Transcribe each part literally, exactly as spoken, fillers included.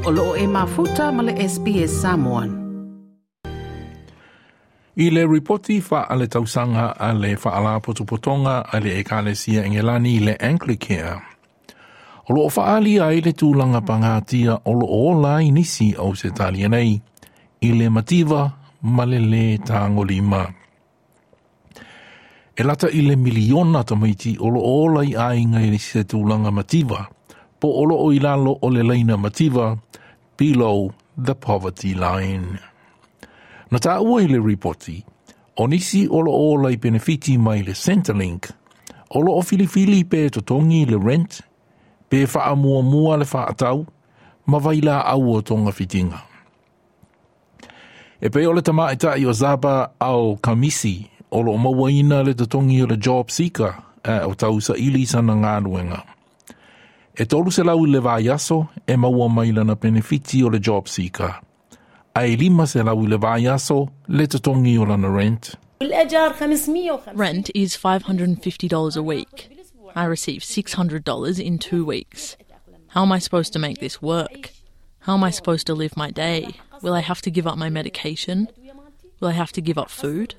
O loo e mafuta ma le S B S Samoan. I le ripoti faaletausaga a le Faalapotopotoga a le Ekalesia Engelani le Anglicare. O loo faalia ai le tulaga pagatia o loo ola ai nisi o Ausetalia nei, i le mativa ma le lē tagolima. E lata i le miliona tamaiti o loo ola i aiga i se tulaga mativa, po o loo i lalo o le laina mativa, below the poverty line. Na taua i le ripoti, o nisi o loo ola i penefiti mai le Centrelink, o loo filifili pe totogi le rent, pe faamuamua le faatau, ma vailaau o togafitiga. E pei o le tamaitai o Zaba Al Kamisi o loo mauaina le totogi o le job seeker a o tausaili sana galuega. E tolu selau i le vaiaso e maua mai lana penefiti o le job seeker. A e lima selau i le vaiaso le totogi o lana rent. Rent is five hundred fifty dollars a week. I receive six hundred dollars in two weeks. How am I supposed to make this work? How am I supposed to live my day? Will I have to give up my medication? Will I have to give up food?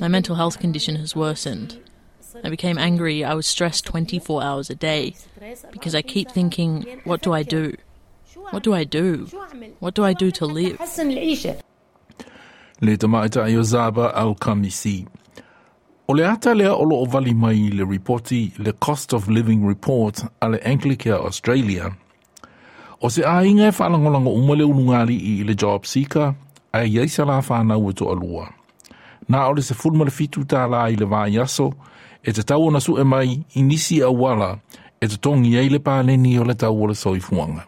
My mental health condition has worsened. I became angry. I was stressed twenty-four hours a day because I keep thinking, "What do I do? What do I do? What do I do to live?" Le tamaitai o Zaba Al Kamisi. O le ata lea o loo vali mai le ripoti le Cost of Living Report a le Anglicare Australia. O se aiga e faalagolago uma le ulugalii i le job seeker, ae iai sa la whanau e toalua. Na o le sefulu ma le fitu tālā i le vaiaso, e tatau ona sue mai i nisi auala e totogi ai le paleni o le tau o le soifuaga.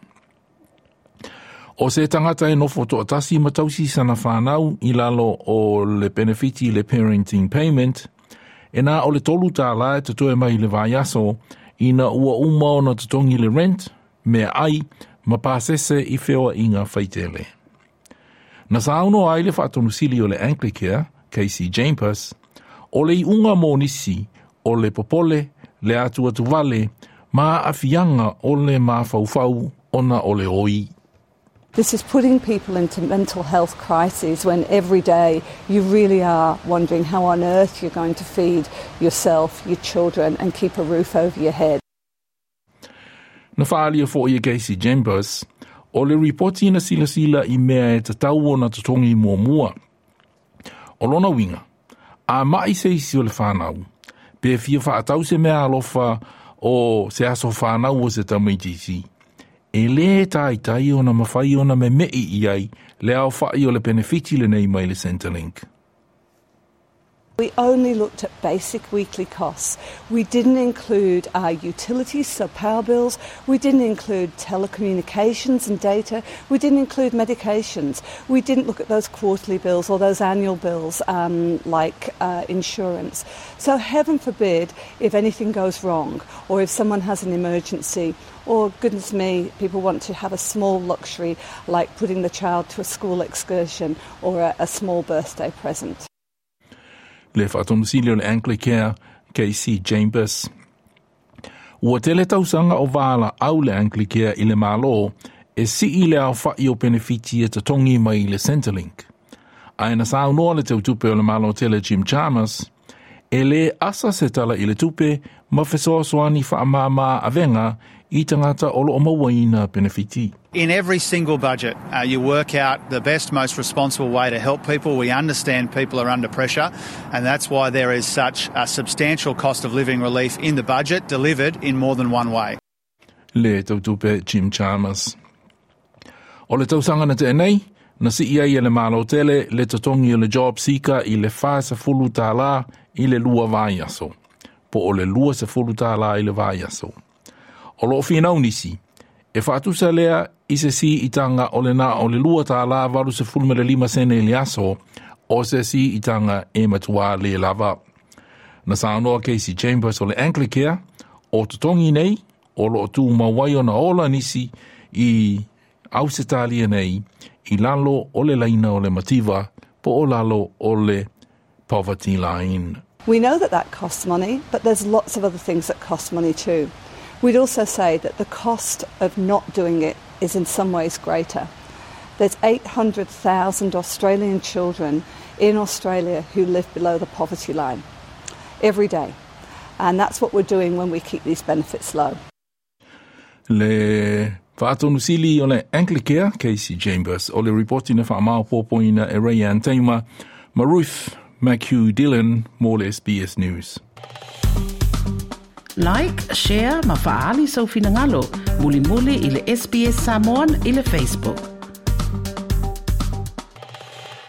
O se tagata e nofo toatasi ma tausi sana whanau i lalo o le benefiti le parenting payment, e na o le tolu tālā e totoe mai le vaiaso ina ua uma ona totogi le rent, meaai, ma pasese i feoaiga faitele. Na saunoa ai le faatonusili o le Anglicare, Kasey Chambers, o le iuga mo nisi o le popole, le atu atu vale, ma aafiaga o le mafaufau ona o le oi. This is putting people into mental health crises when every day you really are wondering how on earth you're going to feed yourself, your children, and keep a roof over your head. Na faalia fo'i e Kasey Chambers, o le ripoti na silasila i mea e tatau ona totogi muamua. O lona uiga, a mai se isi o le whanau, pe fia whaatau se mea alofa o se aso whanau o se tamaitiiti, e lē taitai ona mafai ona memei i ai le aofa'i o le penefiti lenei mai le Centrelink. We only looked at basic weekly costs. We didn't include our utilities, so power bills. We didn't include telecommunications and data. We didn't include medications. We didn't look at those quarterly bills or those annual bills um, like uh, insurance. So, heaven forbid if anything goes wrong or if someone has an emergency or, goodness me, people want to have a small luxury like putting the child to a school excursion or a, a small birthday present. Le faatonusili o le Anglicare, Kasey Chambers. Ua tele tausaga o valaau le Anglicare i le Malo e sii le aofa'i o penefiti e totogi mai le Centrelink. Ae na saunoa le teutupe o le Malo tele Jim Chalmers, e lē asa se tala i le tupe ma fesoasoani faamāmā avega i tagata o loo mauaina penefiti. In every single budget, uh, you work out the best, most responsible way to help people. We understand people are under pressure, and that's why there is such a substantial cost of living relief in the budget, delivered in more than one way. Le teutupe Jim Chalmers. O le tausaga na tea nei, na sii ai e le Malo tele le totogi o le job seeker i le fasefulu tālā i le lua vaiaso. Po o le luasefulu tālā i le vaiaso. O loo finau nisi, e faatusa lea i se siitaga o le na o le lua tālā valu sefulu ma le lima sene i le aso, o se siitaga e matuā lē lava. Na saunoa Kasey Chambers o le Anglicare, o totogi nei, o loo tumau ai ona ola nisi i Ausetalia nei, i lalo o le laina o le mativa, po o lalo o le poverty line. We know that that costs money, but there's lots of other things that cost money too. We'd also say that the cost of not doing it is in some ways greater. There's eight hundred thousand Australian children in Australia who live below the poverty line every day. And that's what we're doing when we keep these benefits low. Le Faatonusili o le Anglicare, Kasy Chambers, o le ripoti na whaamaopopoina e Rayanne Taima, ma Ruth McHugh Dillon mo le S B S News. Like, share, ma faali sau finangalo, muli muli i le S B S Samoan i le Facebook.